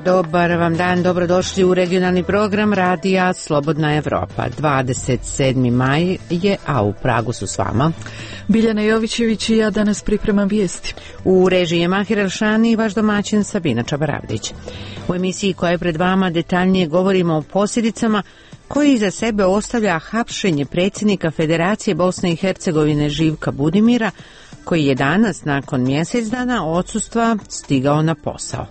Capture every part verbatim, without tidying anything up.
Dobar vam dan, dobrodošli u regionalni program Radija Slobodna Evropa. dvadeset sedmi maj je, a u Pragu su s vama Biljana Jovićević i ja danas pripremam vijesti. U režiji je Mahir Elšani i vaš domaćin Sabina Čabaravdić. U emisiji koja je pred vama detaljnije govorimo o posljedicama koji iza sebe ostavlja hapšenje predsjednika Federacije Bosne i Hercegovine Živka Budimira, koji je danas nakon mjesec dana odsustva stigao na posao.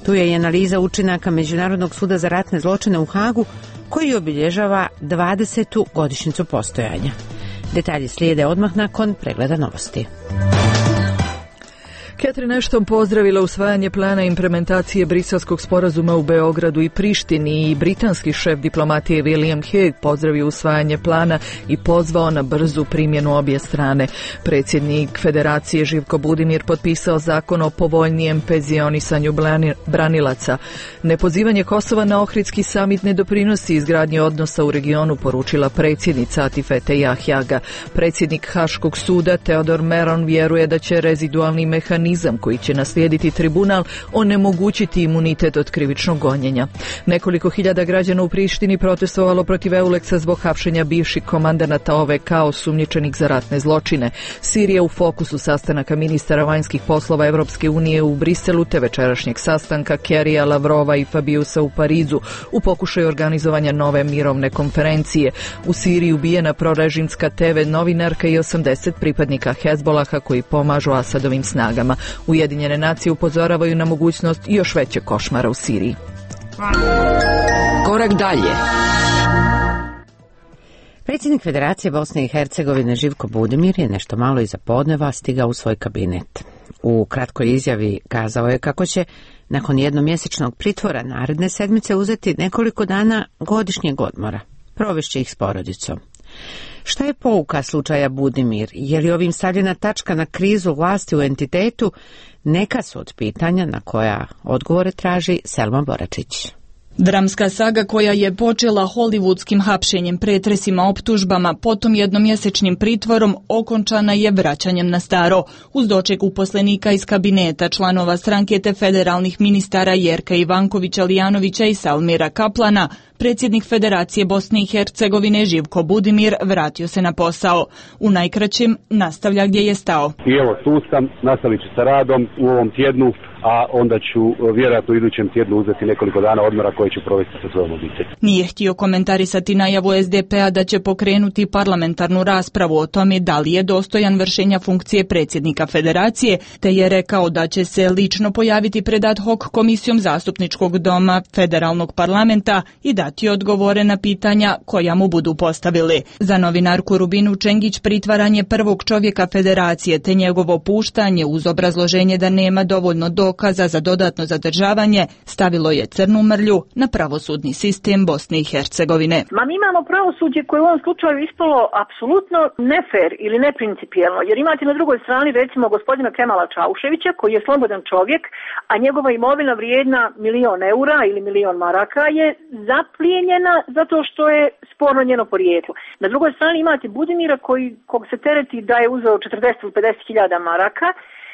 Tu je i analiza učinaka Međunarodnog suda za ratne zločine u Hagu, koji obilježava dvadesetu godišnjicu postojanja. Detalji slijede odmah nakon pregleda novosti. Catherine Ashton pozdravila usvajanje plana implementacije briselskog sporazuma u Beogradu i Prištini i britanski šef diplomatije William Hague pozdravio usvajanje plana i pozvao na brzu primjenu obje strane. Predsjednik Federacije Živko Budimir potpisao zakon o povoljnijem penzionisanju branilaca. Nepozivanje Kosova na Ohridski samit ne doprinosi izgradnji odnosa u regionu, poručila predsjednica Atifete Jahjaga. Predsjednik Haškog suda Teodor Meron vjeruje da će rezidualni mehanizam koji će naslijediti tribunal onemogućiti imunitet od krivičnog gonjenja. Nekoliko hiljada građana u Prištini protestovalo protiv Euleksa zbog hapšenja bivših komandanata O V K osumnjičenih za ratne zločine. Sirija u fokusu sastanaka ministara vanjskih poslova Evropske unije u Briselu te večerašnjeg sastanka Kerrya, Lavrova i Fabiusa u Parizu u pokušaju organizovanja nove mirovne konferencije. U Siriji ubijena prorežimska T V novinarka i osamdeset pripadnika Hezbolaha koji pomažu Asadovim snagama. Ujedinjene nacije upozoravaju na mogućnost još većeg košmara u Siriji. Korak dalje. Predsjednik Federacije Bosne i Hercegovine Živko Budimir je nešto malo iza podneva stigao u svoj kabinet. U kratkoj izjavi kazao je kako će nakon jednomjesečnog pritvora naredne sedmice uzeti nekoliko dana godišnjeg odmora. Provešće ih s porodicom. Šta je pouka slučaja Budimir? Je li ovim stavljena tačka na krizu vlasti u entitetu? Neka su od pitanja na koja odgovore traži Selma Boračić. Dramska saga koja je počela hollywoodskim hapšenjem, pretresima, optužbama, potom jednomjesečnim pritvorom, okončana je vraćanjem na staro. Uz doček uposlenika iz kabineta, članova stranke te federalnih ministara Jerka Ivankovića, Lijanovića i Salmira Kaplana, predsjednik Federacije Bosne i Hercegovine Živko Budimir vratio se na posao. U najkraćem nastavlja gdje je stao. I evo tu sam, nastavit ću sa radom u ovom tjednu, a onda ću vjerojatno u idućem tjednu uzeti nekoliko dana odmora koje ću provesti sa svojom obitelji. Nije htio komentarisati najavu S D P-a da će pokrenuti parlamentarnu raspravu o tome da li je dostojan vršenja funkcije predsjednika Federacije, te je rekao da će se lično pojaviti pred ad hoc komisijom zastupničkog doma federalnog parlamenta i dati odgovore na pitanja koja mu budu postavili. Za novinarku Rubinu Čengić pritvaranje prvog čovjeka Federacije te njegovo puštanje uz obrazloženje da nema dovoljno do dokaza za dodatno zadržavanje stavilo je crnu mrlju na pravosudni sistem Bosne i Hercegovine. Ma mi imamo pravosuđe koje u ovom slučaju ispalo apsolutno nefer ili neprincipijelno, jer imate na drugoj strani recimo gospodina Kemala Čauševića koji je slobodan čovjek, a njegova imovina vrijedna milion eura ili milion maraka je zaplijenjena zato što je sporno njeno porijeklo. Na drugoj strani imate Budimira koji, kog se tereti da je uzeo četrdeset ili pedeset hiljada maraka,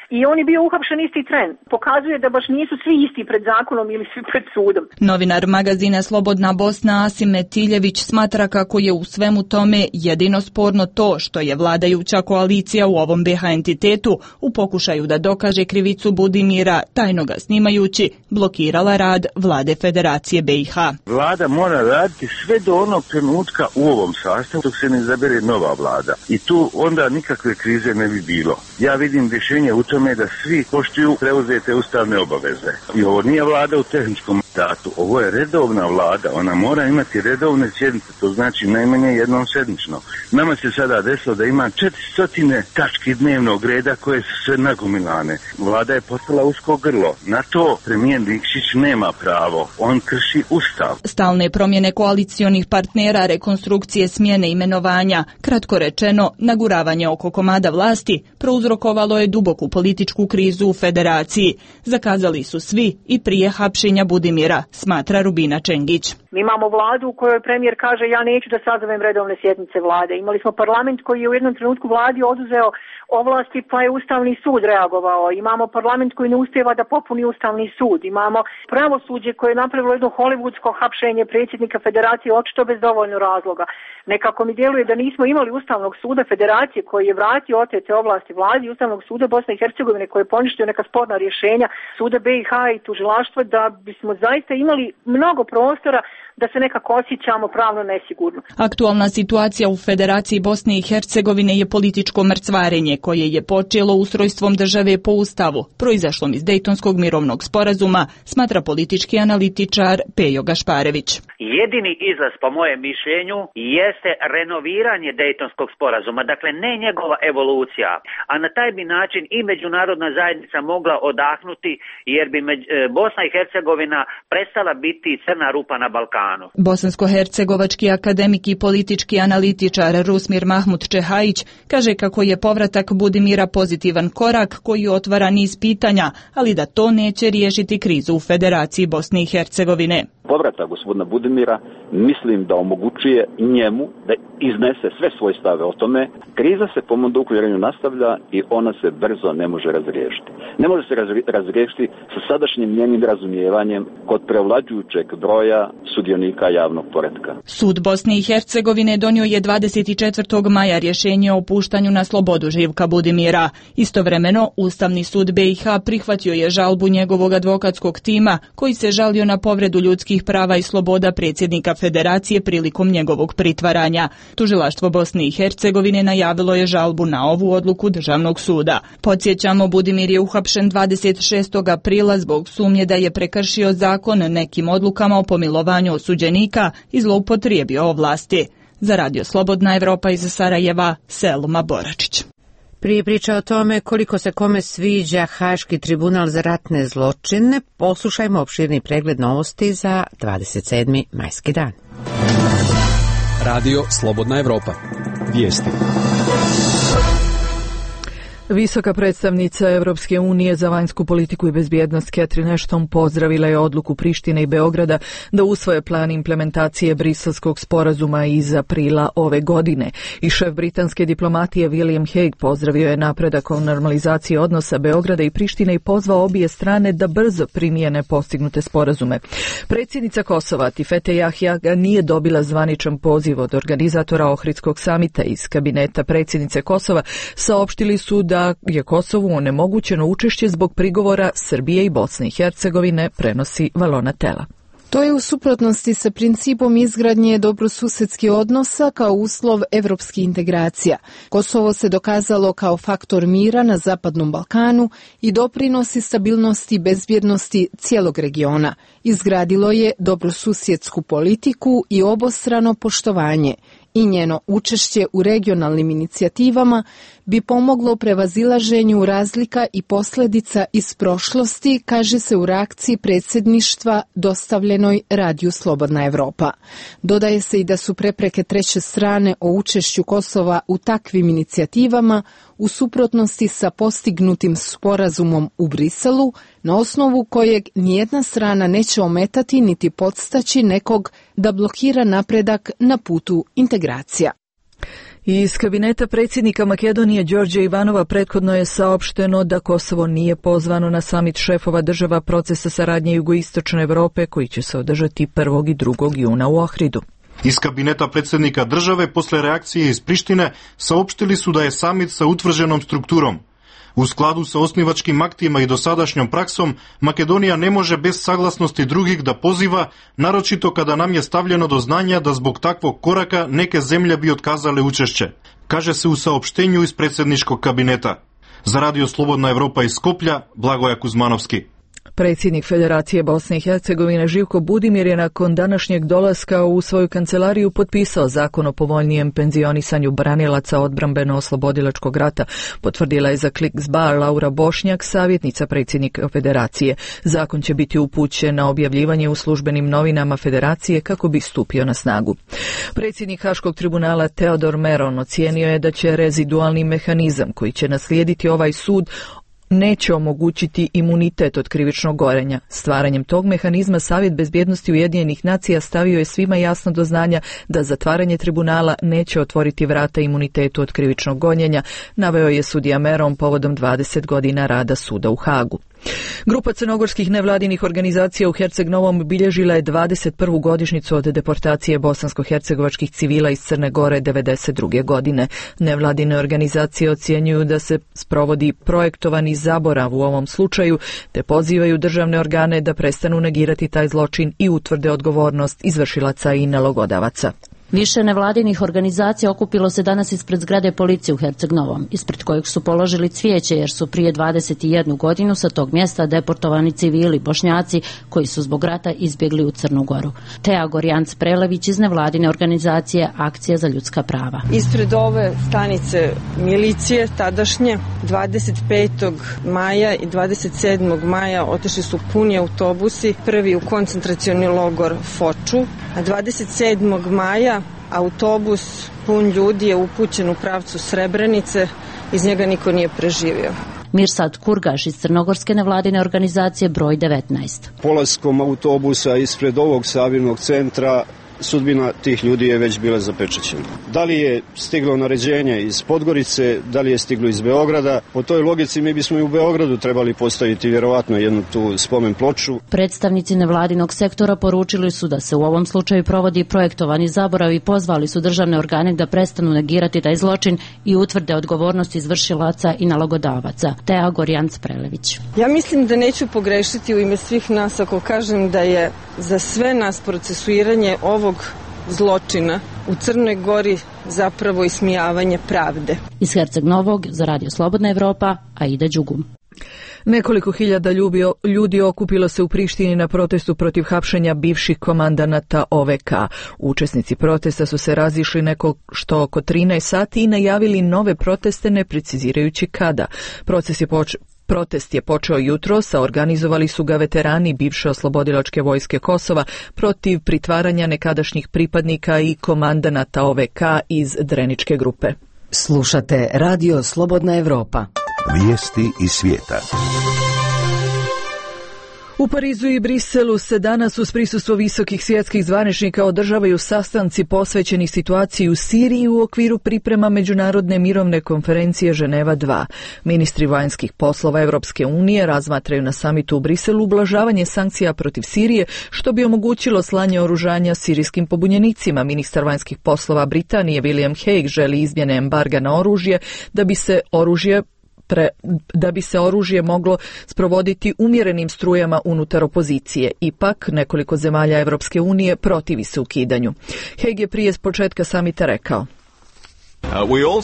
i on je bio uhapšen isti tren. Pokazuje da baš nisu svi isti pred zakonom ili svi pred sudom. Novinar magazina Slobodna Bosna Asim Metiljević smatra kako je u svemu tome jedino sporno to što je vladajuća koalicija u ovom B H entitetu u pokušaju da dokaže krivicu Budimira, tajno ga snimajući, blokirala rad vlade Federacije B i H. Vlada mora raditi sve do onog trenutka u ovom sastavu dok se ne izabere nova vlada. I tu onda nikakve krize ne bi bilo. Ja vidim rješenje u tome da svi poštuju preuzete ustavne obaveze. I ovo nije vlada u tehničkom mandatu, ovo je redovna vlada, ona mora imati redovne sjednice, to znači najmanje jednom sedmično. Nama se sada desilo da ima četiristo tački dnevnog reda koje su sve nagomilane. Vlada je postala usko grlo. Na to premijer Nikšić nema pravo, on krši ustav. Stalne promjene koalicionih partnera, rekonstrukcije, smjene imenovanja, kratko rečeno, naguravanje oko komada vlasti prouzrokovalo je duboku političku krizu u Federaciji. Zakazali su svi i prije hapšenja Budimira Budimira, smatra Rubina Čengić. Mi imamo vladu u kojoj premijer kaže ja neću da sazovem redovne sjednice vlade. Imali smo parlament koji je u jednom trenutku vladi oduzeo ovlasti pa je Ustavni sud reagovao. Imamo parlament koji ne uspijeva da popuni Ustavni sud. Imamo pravosuđe koje je napravilo jedno hollywoodsko hapšenje predsjednika federacije očito bez dovoljno razloga. Nekako mi djeluje da nismo imali Ustavnog suda federacije koji je vratio otete ovlasti vladi i Ustavnog suda Bosne i Hercegovine koji je poništio neka sporna rješenja suda B i H i tužilaštva, da bismo zaista imali mnogo prostora da se nekako osjećamo pravno nesigurno. Aktualna situacija u Federaciji Bosne i Hercegovine je političko mrcvarenje koje je počelo ustrojstvom države po Ustavu, proizašlom iz Dejtonskog mirovnog sporazuma, smatra politički analitičar Pejo Gašparević. Jedini izlaz, po mojem mišljenju, jeste renoviranje Dejtonskog sporazuma, dakle ne njegova evolucija, a na taj bi način i međunarodna zajednica mogla odahnuti, jer bi Bosna i Hercegovina prestala biti crna rupa na Balkanu. Bosansko-hercegovački akademik i politički analitičar Rusmir Mahmud Čehajić kaže kako je povratak Budimira pozitivan korak koji otvara niz pitanja, ali da to neće riješiti krizu u Federaciji Bosne i Hercegovine. Povratak gospodina Budimira mislim da omogućuje njemu da iznese sve svoje stave o tome. Kriza se po mom uvjerenju nastavlja i ona se brzo ne može razriješiti. Ne može se razriješiti sa sadašnjim njenim razumijevanjem kod prevlađujućeg broja sudionika javnog poretka. Sud Bosne i Hercegovine donio je dvadeset četvrtog maja rješenje o puštanju na slobodu Živka Budimira. Istovremeno, Ustavni sud B i H prihvatio je žalbu njegovog advokatskog tima koji se žalio na povredu ljudskih prava i sloboda predsjednika Federacije prilikom njegovog pritvaranja. Tužilaštvo Bosne i Hercegovine najavilo je žalbu na ovu odluku Državnog suda. Podsjećamo, Budimir je uhapšen dvadeset šestog aprila zbog sumnje da je prekršio zakon nekim odlukama o pomilovanju osuđenika i zloupotrijebio ovlasti. Za Radio Slobodna Evropa iz Sarajeva, Selma Boračić. Prije priča o tome koliko se kome sviđa Haški tribunal za ratne zločine, poslušajmo opširni pregled novosti za dvadeset sedmi majski dan. Radio Slobodna Evropa. Vijesti. Visoka predstavnica Europske unije za vanjsku politiku i bezbjednost Catherine Ashton pozdravila je odluku Prištine i Beograda da usvoje plan implementacije Briselskog sporazuma iz aprila ove godine. I šef britanske diplomatije William Hague pozdravio je napredak o normalizaciji odnosa Beograda i Prištine i pozvao obje strane da brzo primijene postignute sporazume. Predsjednica Kosova Tifete Jahja nije dobila zvaničan poziv od organizatora Ohridskog samita. Iz kabineta predsjednice Kosova saopštili su da da je Kosovu onemogućeno učešće zbog prigovora Srbije i Bosne i Hercegovine, prenosi Valona Tela. To je u suprotnosti sa principom izgradnje dobrosusedskih odnosa kao uslov evropskih integracija. Kosovo se dokazalo kao faktor mira na Zapadnom Balkanu i doprinosi stabilnosti i bezbjednosti cijelog regiona. Izgradilo je dobrosusjedsku politiku i obostrano poštovanje. I njeno učešće u regionalnim inicijativama bi pomoglo prevazilaženju razlika i posljedica iz prošlosti, kaže se u reakciji predsjedništva dostavljenoj Radiju Slobodna Evropa. Dodaje se i da su prepreke treće strane o učešću Kosova u takvim inicijativama u suprotnosti sa postignutim sporazumom u Briselu, na osnovu kojeg nijedna strana neće ometati niti podstaći nekog da blokira napredak na putu integracija. Iz kabineta predsjednika Makedonije Đorđa Ivanova prethodno je saopšteno da Kosovo nije pozvano na samit šefova država procesa saradnje jugoistočne Europe koji će se održati prvog i drugog juna u Ohridu. Iz kabineta predsjednika države posle reakcije iz Prištine saopštili su da je samit sa utvrđenom strukturom. U skladu sa osnivačkim aktima i dosadašnjom praksom, Makedonija ne može bez saglasnosti drugih da poziva, naročito kada nam je stavljeno do znanja da zbog takvog koraka neke zemlje bi otkazale učešće, kaže se u saopštenju iz predsjedničkog kabineta. Za Radio Slobodna Evropa iz Skoplja, Blagoja Kuzmanovski. Predsjednik Federacije Bosne i Hercegovine Živko Budimir je nakon današnjeg dolaska u svoju kancelariju potpisao zakon o povoljnijem penzionisanju branilaca odbrambeno-oslobodilačkog rata, potvrdila je za Kliks.bar Laura Bošnjak, savjetnica predsjednika Federacije. Zakon će biti upućen na objavljivanje u službenim novinama Federacije kako bi stupio na snagu. Predsjednik Haškog tribunala Teodor Meron ocijenio je da će rezidualni mehanizam koji će naslijediti ovaj sud neće omogućiti imunitet od krivičnog gonjenja. Stvaranjem tog mehanizma Savjet bezbjednosti Ujedinjenih nacija stavio je svima jasno do znanja da zatvaranje tribunala neće otvoriti vrata imunitetu od krivičnog gonjenja, naveo je sudija Meron povodom dvadeset godina rada suda u Hagu. Grupa crnogorskih nevladinih organizacija u Herceg Novom obilježila je dvadeset prvu godišnjicu od deportacije bosansko-hercegovačkih civila iz Crne Gore devedeset druge godine. Nevladine organizacije ocjenjuju da se sprovodi projektovani zaborav u ovom slučaju, te pozivaju državne organe da prestanu negirati taj zločin i utvrde odgovornost izvršilaca i nalogodavaca. Više nevladinih organizacija okupilo se danas ispred zgrade policije u Herceg Novom, ispred kojeg su položili cvijeće jer su prije dvadeset jednu godinu sa tog mjesta deportovani civili Bošnjaci koji su zbog rata izbjegli u Crnu Goru. Teja Gorjanc Prelević iz nevladine organizacije Akcija za ljudska prava. Ispred ove stanice milicije tadašnje dvadeset petog maja i dvadeset sedmog maja otišli su puni autobusi, prvi u koncentracioni logor Foču, a dvadeset sedmog maja autobus pun ljudi je upućen u pravcu Srebrenice, iz njega niko nije preživio. Mirsad Kurgaš iz crnogorske nevladine organizacije broj devetnaest. Polaskom autobusa ispred ovog sabirnog centra sudbina tih ljudi je već bila zapečaćena. Da li je stiglo naređenje iz Podgorice, da li je stiglo iz Beograda? Po toj logici mi bismo i u Beogradu trebali postaviti vjerovatno jednu tu spomen ploču. Predstavnici nevladinog sektora poručili su da se u ovom slučaju provodi projektovani zaborav i pozvali su državne organe da prestanu negirati taj zločin i utvrde odgovornost izvršilaca i nalogodavaca. Teja Gorjanc Prelević. Ja mislim da neću pogrešiti u ime svih nas ako kažem da je za sve nas procesuiranje ovog zločina u Crnoj Gori zapravo ismijavanje pravde. Iz Herceg Novog za Radio Slobodna Evropa, Aida Đugum. Nekoliko hiljada ljudi okupilo se u Prištini na protestu protiv hapšenja bivših komandanata O V K. Učesnici protesta su se razišli neko što oko trinaest sati i najavili nove proteste ne precizirajući kada. Proces je poč... Protest je počeo jutros, a organizovali su ga veterani bivše oslobodilačke vojske Kosova protiv pritvaranja nekadašnjih pripadnika i komandanata O V K iz Dreničke grupe. Slušate Radio Slobodna Evropa. Vijesti iz svijeta. U Parizu i Briselu se danas uz prisustvo visokih svjetskih zvaničnika održavaju sastanci posvećeni situaciji u Siriji u okviru priprema Međunarodne mirovne konferencije Ženeva dva. Ministri vanjskih poslova Evropske unije razmatraju na samitu u Briselu ublažavanje sankcija protiv Sirije, što bi omogućilo slanje oružanja sirijskim pobunjenicima. Ministar vanjskih poslova Britanije William Hague želi izmjene embarga na oružje da bi se oružje Pre, da bi se oružje moglo sprovoditi umjerenim strujama unutar opozicije. Ipak, nekoliko zemalja Evropske unije protivi se ukidanju. Hague je prije s početka samita rekao: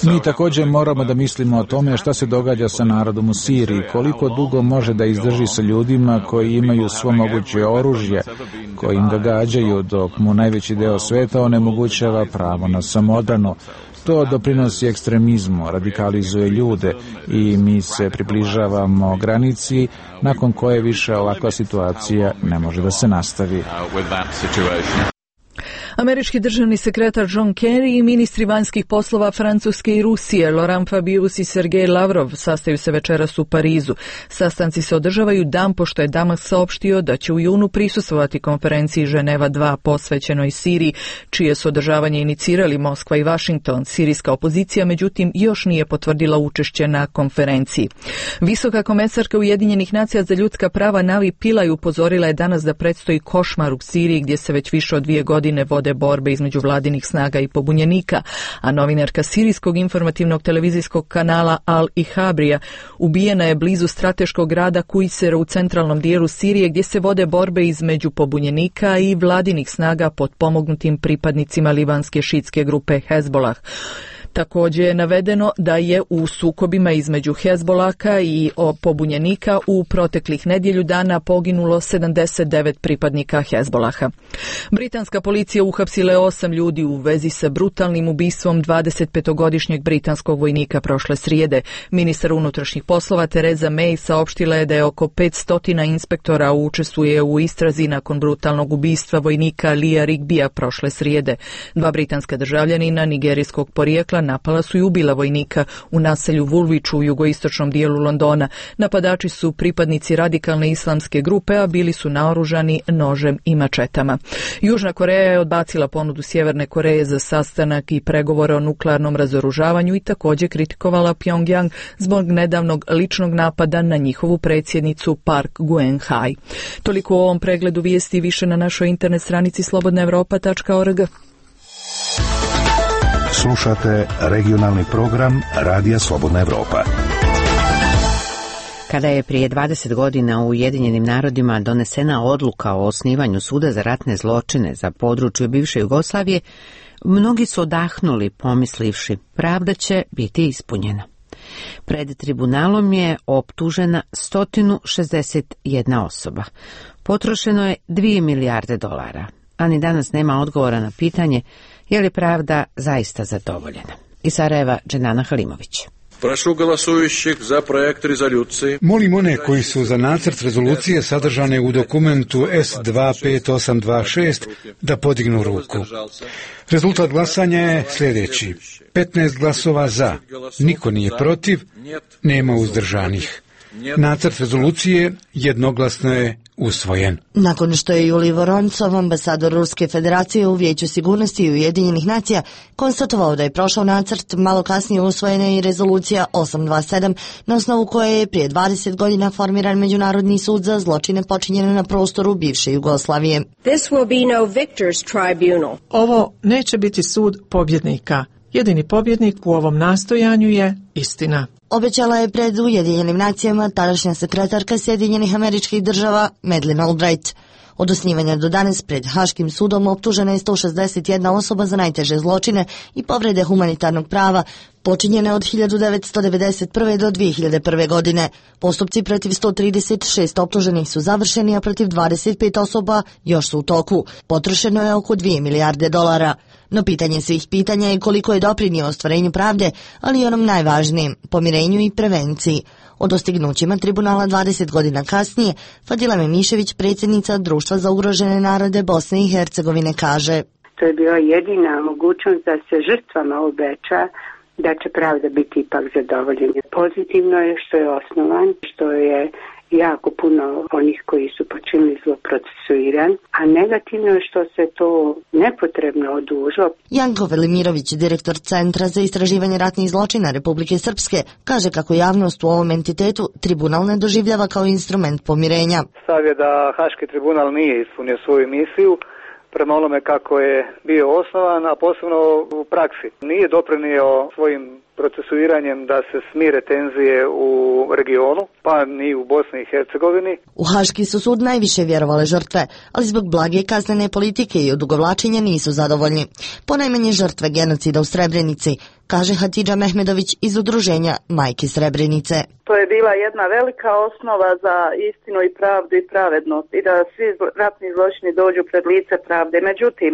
Mi također moramo da mislimo o tome šta se događa sa narodom u Siriji, koliko dugo može da izdrži sa ljudima koji imaju svo moguće oružje, koji im ga gađaju, dok mu najveći deo sveta onemogućava pravo na samoodbranu. To doprinosi ekstremizmu, radikalizuje ljude i mi se približavamo granici nakon koje više ovakva situacija ne može da se nastavi. Američki državni sekretar John Kerry i ministri vanjskih poslova Francuske i Rusije Laurent Fabius i Sergej Lavrov sastaju se večeras u Parizu. Sastanci se održavaju dan pošto je Damas saopštio da će u junu prisustvovati konferenciji Ženeva dva posvećenoj Siriji, čije su održavanje inicirali Moskva i Washington. Sirijska opozicija međutim još nije potvrdila učešće na konferenciji. Visoka komesarka Ujedinjenih nacija za ljudska prava Navi Pillay upozorila je danas da predstoji košmar u Siriji gdje se već više od dvije godine vode borbe između vladinih snaga i pobunjenika, a novinarka sirijskog informativnog televizijskog kanala Al Ihabrija ubijena je blizu strateškog grada Kujsera u centralnom dijelu Sirije gdje se vode borbe između pobunjenika i vladinih snaga pod pomognutim pripadnicima libanske šitske grupe Hezbolah. Također je navedeno da je u sukobima između Hezbolaka i pobunjenika u proteklih nedjelju dana poginulo sedamdeset devet pripadnika Hezbolaha. Britanska policija uhapsila je osam ljudi u vezi sa brutalnim ubistvom dvadesetpetogodišnjeg britanskog vojnika prošle srijede. Ministar unutrašnjih poslova Theresa May saopštila je da je oko petsto inspektora učestvuje u istrazi nakon brutalnog ubistva vojnika Lia Rigbija prošle srijede. Dva britanska državljanina nigerijskog porijekla napala su i ubila vojnika u naselju Woolwich u jugoistočnom dijelu Londona. Napadači su pripadnici radikalne islamske grupe, a bili su naoružani nožem i mačetama. Južna Koreja je odbacila ponudu Sjeverne Koreje za sastanak i pregovore o nuklearnom razoružavanju i također kritikovala Pyongyang zbog nedavnog ličnog napada na njihovu predsjednicu Park Geun-hye. Toliko u ovom pregledu vijesti, više na našoj internet stranici slobodna europa tačka org. Slušate regionalni program Radija Slobodna Evropa. Kada je prije dvadeset godina u Ujedinjenim narodima donesena odluka o osnivanju suda za ratne zločine za područje bivše Jugoslavije, mnogi su odahnuli pomislivši pravda će biti ispunjena. Pred tribunalom je optužena sto šezdeset jedna osoba. Potrošeno je dvije milijarde dolara, a ni danas nema odgovora na pitanje je li pravda zaista zadovoljena. Iz Sarajeva, Dženana Halimović. Прошу голосующих за проект резолюции. Molim one koji su za nacrt rezolucije sadržane u dokumentu S dva pet osam dva šest da podignu ruku. Rezultat glasanja je sljedeći. petnaest glasova za, niko nije protiv, nema uzdržanih. Nacrt rezolucije jednoglasno je usvojen. Nakon što je Julij Voroncov, ambasador Ruske federacije u Vijeću sigurnosti Ujedinjenih nacija, konstatovao da je prošao nacrt, malo kasnije usvojena i rezolucija osam dvadeset sedam, na osnovu koje je prije dvadeset godina formiran Međunarodni sud za zločine počinjene na prostoru bivše Jugoslavije. This will be no victor's tribunal. Ovo neće biti sud pobjednika. Jedini pobjednik u ovom nastojanju je istina. Obećala je pred Ujedinjenim nacijama tadašnja sekretarka Sjedinjenih Američkih Država Madeleine Albright. Od osnivanja do danas pred Haškim sudom optužena je sto šezdeset jedna osoba za najteže zločine i povrede humanitarnog prava počinjene od hiljadu devetsto devedeset prve do dvije hiljade prve. godine. Postupci protiv sto trideset šest optuženih su završeni, a protiv dvadeset pet osoba još su u toku. Potrošeno je oko dvije milijarde dolara. No pitanje svih pitanja je koliko je doprinio ostvarenju pravde, ali i onom najvažnijem, pomirenju i prevenciji. O dostignućima tribunala dvadeset godina kasnije, Fadila Memišević, predsjednica Društva za ugrožene narode Bosne i Hercegovine, kaže: To je bila jedina mogućnost da se žrtvama obeća da će pravda biti ipak zadovoljena. Pozitivno je što je osnovan, što je jako puno onih koji su počinili zlo procesuiran, a negativno je što se to nepotrebno odužilo. Janko Velimirović, direktor Centra za istraživanje ratnih zločina Republike Srpske, kaže kako javnost u ovom entitetu tribunal ne doživljava kao instrument pomirenja. Stav je da Haški tribunal nije ispunio svoju misiju prema onome kako je bio osnovan, a posebno u praksi. Nije doprinio svojim procesuiranjem da se smire tenzije u regionu, pa ni u Bosni i Hercegovini. U Haški su sud najviše vjerovale žrtve, ali zbog blage kaznene politike i odugovlačenja nisu zadovoljni. Ponajmanje žrtve genocida u Srebrenici, kaže Hatidža Mehmedović iz udruženja Majke Srebrenice. To je bila jedna velika osnova za istinu i pravdu i pravednost i da svi ratni zločini dođu pred lice pravde. Međutim,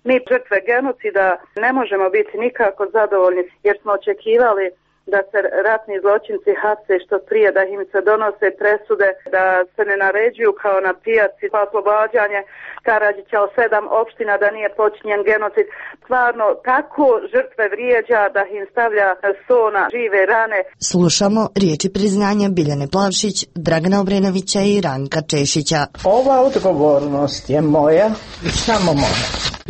mi žrtve genocida ne možemo biti nikako zadovoljni jer smo očekivali da se ratni zločinci hapse što prije, da im se donose presude, da se ne naređuju kao na pijaci pa oslobađanje Karadžića od sedam opština da nije počinjen genocid. Stvarno, tako žrtve vrijeđa da im stavlja so na žive rane. Slušamo riječi priznanja Biljane Plavšić, Dragana Obrenovića i Ranka Češića. Ova odgovornost je moja i samo moja.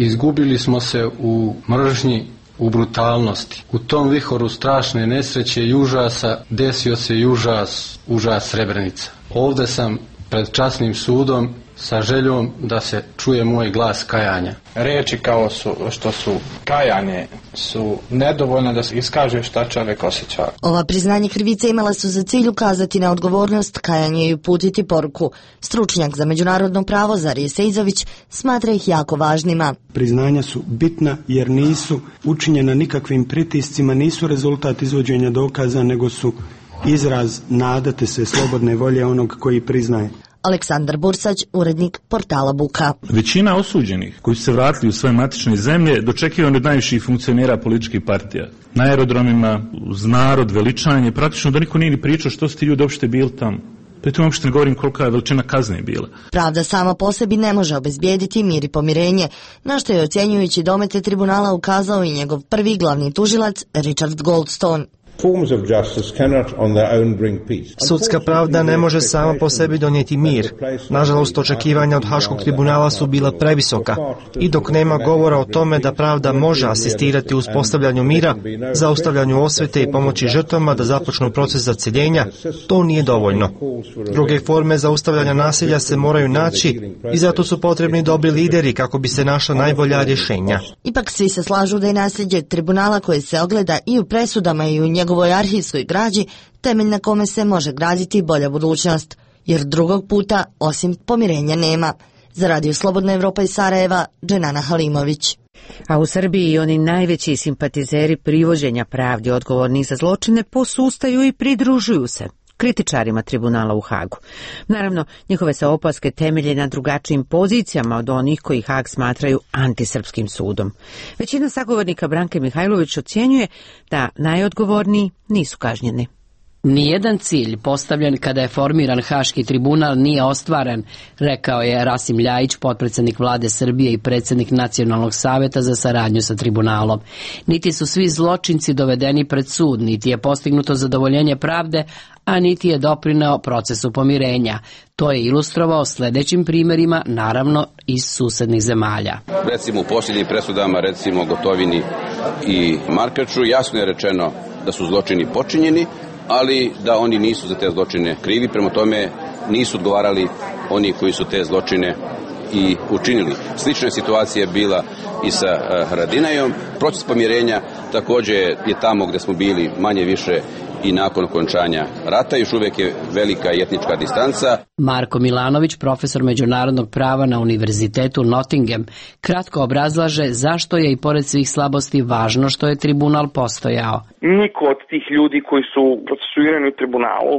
Izgubili smo se u mržnji, u brutalnosti. U tom vihoru strašne nesreće i užasa desio se i užas, užas Srebrenica. Ovdje sam pred časnim sudom sa željom da se čuje moj glas kajanja. Riječi kao su, što su kajanje su nedovoljne da se iskaže šta čovjek osjeća. Ova priznanje krivice imala su za cilj ukazati na odgovornost, kajanje i uputiti poruku. Stručnjak za međunarodno pravo Zarije Sejzović smatra ih jako važnima. Priznanja su bitna jer nisu učinjena nikakvim pritiscima, nisu rezultat izvođenja dokaza, nego su izraz nadate se slobodne volje onog koji priznaje. Aleksandar Bursać, urednik portala Buka. Većina osuđenih koji su se vratili u svoje matične zemlje dočekivani od najviših funkcionera političkih partija. Na aerodromima, uz narod, veličanje, praktično da niko nije ni pričao što su ti ljudi uopšte bili tamo. Pritom uopšte ne govorim kolika je veličina kazne bila. Pravda sama po sebi ne može obezbijediti mir i pomirenje, na što je ocjenjujući domete tribunala ukazao i njegov prvi glavni tužilac Richard Goldstone. Sudska pravda ne može sama po sebi donijeti mir. Nažalost, očekivanja od Haškog tribunala su bila previsoka i dok nema govora o tome da pravda može asistirati u uspostavljanju mira, zaustavljanju osvete i pomoći žrtvama da započnu proces zaceljenja, to nije dovoljno. Druge forme zaustavljanja nasilja se moraju naći i zato su potrebni dobri lideri kako bi se našla najbolja rješenja. Ipak svi se slažu da je nasljeđe tribunala koje se ogleda i u presudama i u njegovoj arhivskoj građi temelj na kome se može graditi bolja budućnost, jer drugog puta osim pomirenja nema. Za Radio Slobodna Evropa iz Sarajeva, Dženana Halimović. A u Srbiji oni najveći simpatizeri privođenja pravdi odgovornih za zločine posustaju i pridružuju se kritičarima tribunala u Hagu. Naravno, njihove se opaske temelje na drugačijim pozicijama od onih koji Hag smatraju antisrpskim sudom. Većina sagovornika Branke Mihajlović ocjenjuje da najodgovorniji nisu kažnjeni. Nijedan cilj postavljen kada je formiran Haški tribunal nije ostvaren, rekao je Rasim Ljajić, potpredsjednik vlade Srbije i predsjednik Nacionalnog saveta za saradnju sa tribunalom. Niti su svi zločinci dovedeni pred sud, niti je postignuto zadovoljenje pravde, a niti je doprineo procesu pomirenja. To je ilustrovao sljedećim primjerima, naravno iz susednih zemalja. Recimo u posljednjim presudama, recimo Gotovini i Markaču, jasno je rečeno da su zločini počinjeni, ali da oni nisu za te zločine krivi, prema tome nisu odgovarali oni koji su te zločine i učinili. Slična situacija je bila i sa Haradinajom. Proces pomirenja također je tamo gdje smo bili manje više i nakon okončanja rata, još uvijek je velika etnička distanca. Marko Milanović, profesor međunarodnog prava na Univerzitetu Nottingham, kratko obrazlaže zašto je i pored svih slabosti važno što je tribunal postojao. Niko od tih ljudi koji su procesuirani u tribunalu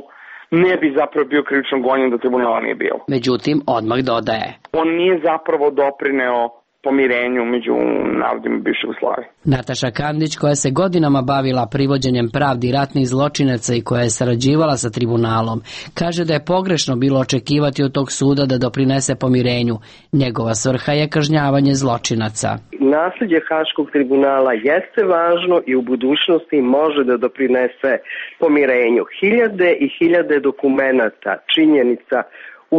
ne bi zapravo bio krivično gonjen da tribunala nije bilo. Međutim, odmah dodaje. On nije zapravo doprineo pomirenju među narodima bivše Jugoslavije. Nataša Kandić, koja se godinama bavila privođenjem pravdi ratnih zločinaca i koja je sarađivala sa tribunalom, kaže da je pogrešno bilo očekivati od tog suda da doprinese pomirenju. Njegova svrha je kažnjavanje zločinaca. Nasljeđe Haškog tribunala jeste važno i u budućnosti može da doprinese pomirenju. Hiljade i hiljade dokumenata, činjenica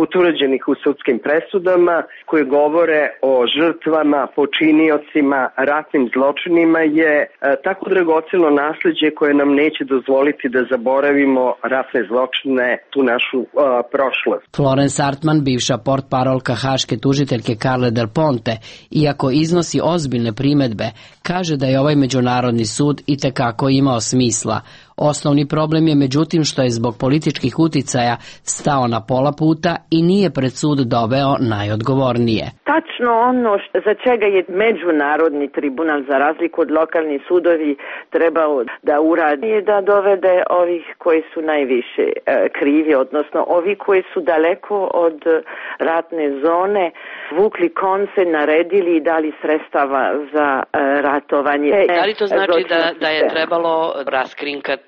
utvrđenih u sudskim presudama koje govore o žrtvama, počiniocima, ratnim zločinima je e, tako dragoceno nasljeđe koje nam neće dozvoliti da zaboravimo ratne zločine, tu našu e, prošlost. Florence Artman, bivša portparolka haške tužiteljke Carle Del Ponte, iako iznosi ozbiljne primedbe, kaže da je ovaj međunarodni sud itekako imao smisla. Osnovni problem je međutim što je zbog političkih uticaja stao na pola puta i nije pred sud doveo najodgovornije. Tačno ono za čega je međunarodni tribunal za razliku od lokalnih sudovi trebao da uradi je da dovede ovih koji su najviše e, krivi, odnosno ovi koji su daleko od ratne zone, vukli konce, naredili i dali sredstava za e, ratovanje. Da li to znači da, da je trebalo raskrinkati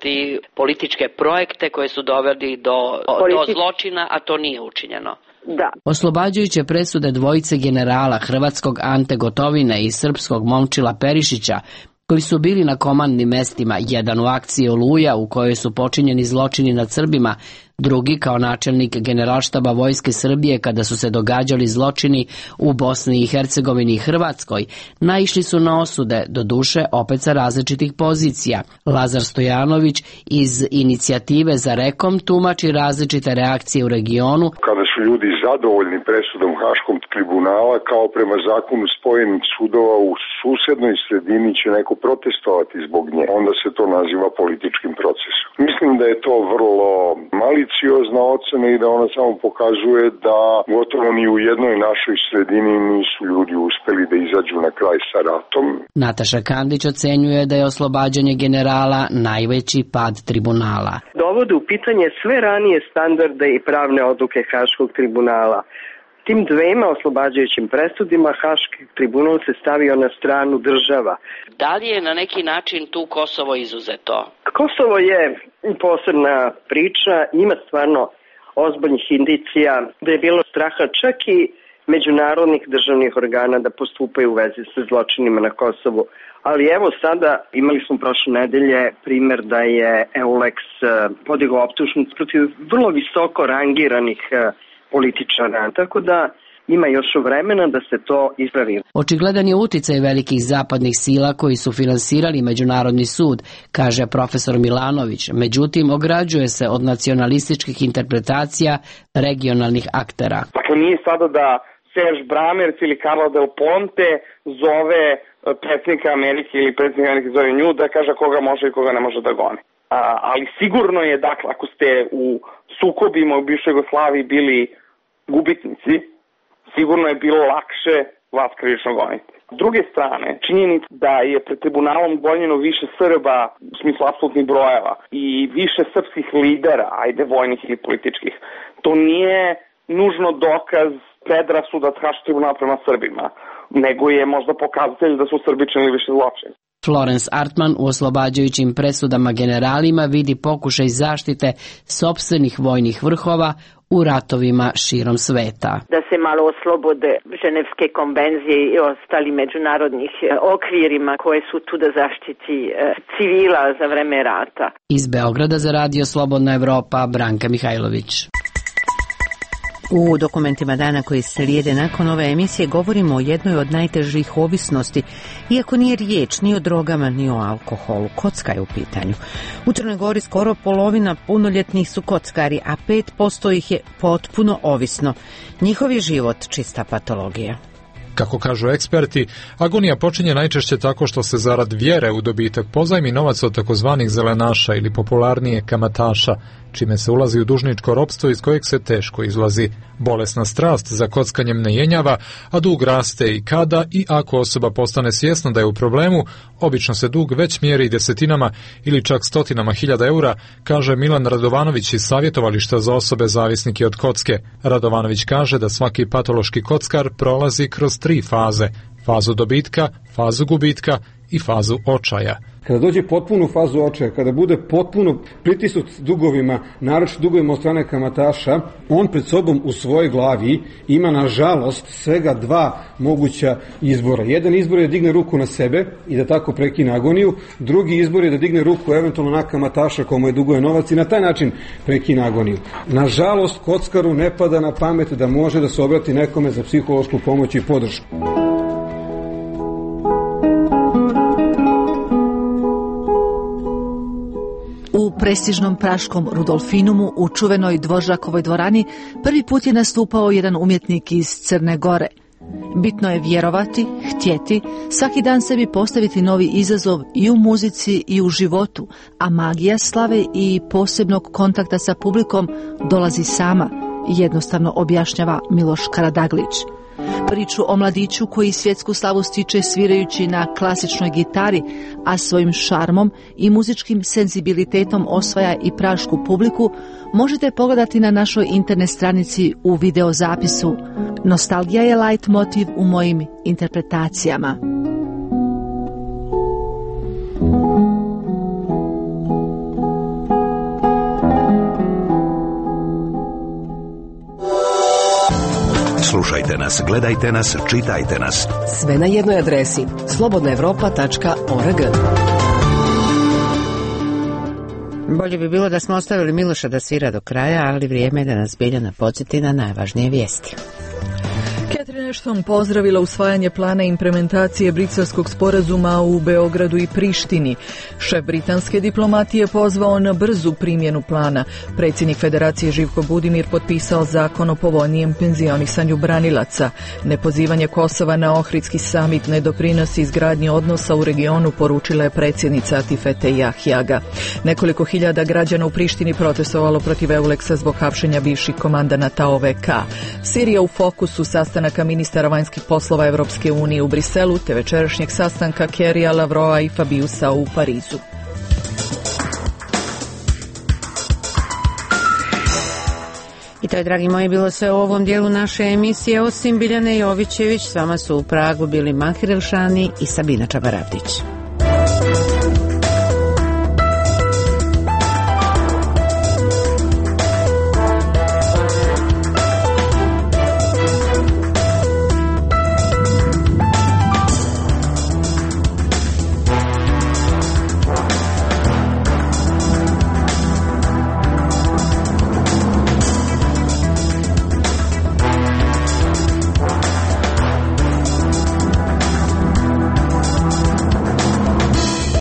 političke projekte koje su doveli do, Politi... do zločina, a to nije učinjeno? Da. Oslobađajuće presude dvojice generala hrvatskog Ante Gotovine i srpskog Momčila Perišića, koji su bili na komandnim mestima, jedan u akciji Oluja u kojoj su počinjeni zločini nad Srbima, drugi kao načelnik generalštaba vojske Srbije kada su se događali zločini u Bosni i Hercegovini i Hrvatskoj, naišli su na osude, doduše opet sa različitih pozicija. Lazar Stojanović iz inicijative za Rekom tumači različite reakcije u regionu. Kada su ljudi zadovoljni presudom Haškog tribunala, kao prema zakonu spojenih sudova u susednoj sredini će neko protestovati zbog nje, onda se to naziva političkim procesom. Mislim da je to vrlo maliciozna ocena i da ona samo pokazuje da gotovo ni u jednoj našoj sredini nisu ljudi uspeli da izađu na kraj sa ratom. Nataša Kandić ocenjuje da je oslobađanje generala najveći pad tribunala. Dovode u pitanje sve ranije standarde i pravne odluke Haškog tribunala. Tim dvema oslobađajućim presudima Haški tribunal se stavio na stranu država. Da li je na neki način tu Kosovo izuzeto? Kosovo je posebna priča, ima stvarno ozbiljnih indicija da je bilo straha čak i međunarodnih državnih organa da postupaju u vezi sa zločinima na Kosovu. Ali evo sada imali smo prošle nedelje primer da je Euleks podigao optužnicu protiv vrlo visoko rangiranih političara, tako da ima još vremena da se to ispravi. Očigledan je uticaj velikih zapadnih sila koji su finansirali Međunarodni sud, kaže profesor Milanović. Međutim, ograđuje se od nacionalističkih interpretacija regionalnih aktera. Dakle, nije sada da Serge Bramers ili Carlo Del Ponte zove predsjednika Amerike ili predsjednika Amerike zove nju da kaže koga može i koga ne može da goni. A, ali sigurno je, dakle, ako ste u sukobima u bivšoj Jugoslaviji bili gubitnici, sigurno je bilo lakše vas krivično goniti. S druge strane, činjenica da je pred tribunalom gonjeno više Srba u smislu apsolutnih brojeva i više srpskih lidera, ajde vojnih ili političkih, to nije nužno dokaz predrasuda Haškog tribunala prema Srbima, nego je možda pokazatelj da su Srbi činili više zločina. Florence Artman u oslobađajućim presudama generalima vidi pokušaj zaštite sopstvenih vojnih vrhova u ratovima širom sveta. Da se malo oslobode Ženevske konvencije i ostali međunarodnih okvirima koje su tu da zaštiti civila za vreme rata. Iz Beograda za Radio Slobodna Evropa, Branka Mihajlović. U dokumentima dana koji slijede nakon ove emisije govorimo o jednoj od najtežih ovisnosti, iako nije riječ ni o drogama ni o alkoholu. Kocka je u pitanju. U Crnoj Gori skoro polovina punoljetnih su kockari, a pet posto ih je potpuno ovisno. Njihov je život čista patologija. Kako kažu eksperti, agonija počinje najčešće tako što se zarad vjere u dobitak pozajmi novac od takozvanih zelenaša ili popularnije kamataša, čime se ulazi u dužničko ropstvo iz kojeg se teško izlazi. Bolesna strast za kockanjem ne jenjava, a dug raste i kada i ako osoba postane svjesna da je u problemu, obično se dug već mjeri desetinama ili čak stotinama hiljada eura, kaže Milan Radovanović iz savjetovališta za osobe zavisnike od kocke. Radovanović kaže da svaki patološki kockar prolazi kroz tri faze: fazu dobitka, fazu gubitka i fazu očaja. Kada dođe potpunu fazu očaja, kada bude potpuno pritisnut dugovima, naročito dugovima od strane kamataša, on pred sobom u svojoj glavi ima nažalost svega dva moguća izbora. Jedan izbor je da digne ruku na sebe i da tako prekine agoniju, drugi izbor je da digne ruku eventualno na kamataša komu je duguje novac i na taj način prekine agoniju. Nažalost, kockaru ne pada na pamet da može da se obrati nekome za psihološku pomoć i podršku. U prestižnom praškom Rudolfinumu u čuvenoj Dvoržakovoj dvorani prvi put je nastupao jedan umjetnik iz Crne Gore. Bitno je vjerovati, htjeti, svaki dan sebi postaviti novi izazov i u muzici i u životu, a magija slave i posebnog kontakta sa publikom dolazi sama, jednostavno objašnjava Miloš Karadaglić. Priču o mladiću koji svjetsku slavu stiče svirajući na klasičnoj gitari, a svojim šarmom i muzičkim senzibilitetom osvaja i prašku publiku, možete pogledati na našoj internet stranici u videozapisu. Nostalgija je light motiv u mojim interpretacijama. Slušajte nas, gledajte nas, čitajte nas. Sve na jednoj adresi slobodna evropa tačka org. Bolje bi bilo da smo ostavili Miloša da svira do kraja, ali vrijeme je da nas Biljana podsjeti na najvažnije vijesti. Catherine Ashton pozdravila usvajanje plana implementacije briselskog sporazuma u Beogradu i Prištini. Šef britanske diplomatije pozvao na brzu primjenu plana. Predsjednik Federacije Živko Budimir potpisao zakon o povoljnijem penzionisanju branilaca. Nepozivanje Kosova na Ohridski samit ne doprinosi izgradnji odnosa u regionu, poručila je predsjednica Atifete Jahjaga. Nekoliko hiljada građana u Prištini protestovalo protiv Euleksa zbog hapšenja bivših komandanata O V K. Sirija u fokusu sastanaka ministara vanjskih poslova Evropske unije u Briselu te večerašnjeg sastanka Kerrya, Lavrova i Fabiusa u Parizu. I to je, dragi moji, bilo sve u ovom dijelu naše emisije. Osim Biljane Jovićević, s vama su u Pragu bili Mahir Elšani i Sabina Čabaravdić.